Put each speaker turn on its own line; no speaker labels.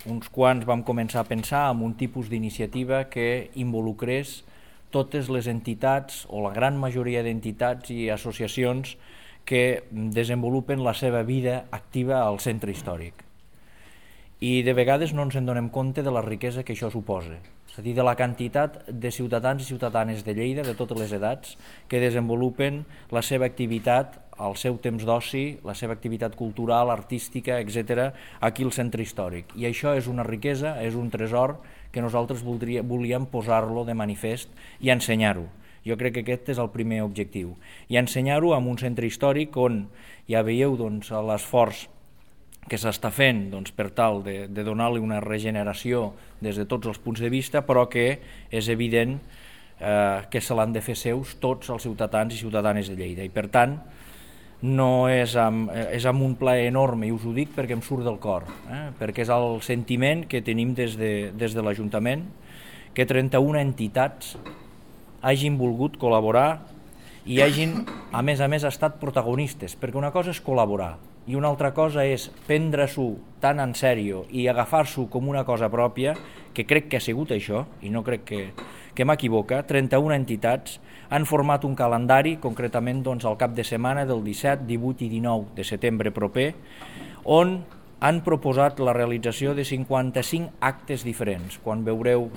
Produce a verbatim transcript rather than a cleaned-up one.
uns quants vam començar a pensar en un tipus d'iniciativa que involucrés totes les entitats o la gran majoria d'entitats i associacions que desenvolupen la seva vida activa al centre històric. I de vegades no ens en donem compte de la riquesa que això suposa, és a dir, de la quantitat de ciutadans i ciutadanes de Lleida, de totes les edats, que desenvolupen la seva activitat, el seu temps d'oci, la seva activitat cultural, artística, etcètera, aquí al centre històric. I això és una riquesa, és un tresor que nosaltres voldria, volíem posar-lo de manifest i ensenyar-ho. Jo crec que aquest és el primer objectiu. I ensenyar-ho en un centre històric on ja veieu doncs, l'esforç que s'està fent doncs, per tal de, de donar-li una regeneració des de tots els punts de vista, però que és evident eh, que se l'han de fer seus tots els ciutadans i ciutadanes de Lleida. I per tant, no és amb, és amb un plaer enorme, i us ho dic perquè em surt del cor, eh? perquè és el sentiment que tenim des de, des de l'Ajuntament, que trenta-una entitats hagin volgut col·laborar i hagin, a més a més, estat protagonistes, perquè una cosa és col·laborar, i una altra cosa és prendre-s'ho tan en sèrio i agafar-s'ho com una cosa pròpia, que crec que ha sigut això, i no crec que, que m'equivoca. trenta-una entitats han format un calendari, concretament doncs, al cap de setmana del disset, divuit i dinou de setembre proper, on han proposat la realització de cinquanta-cinc actes diferents. Quan veureu,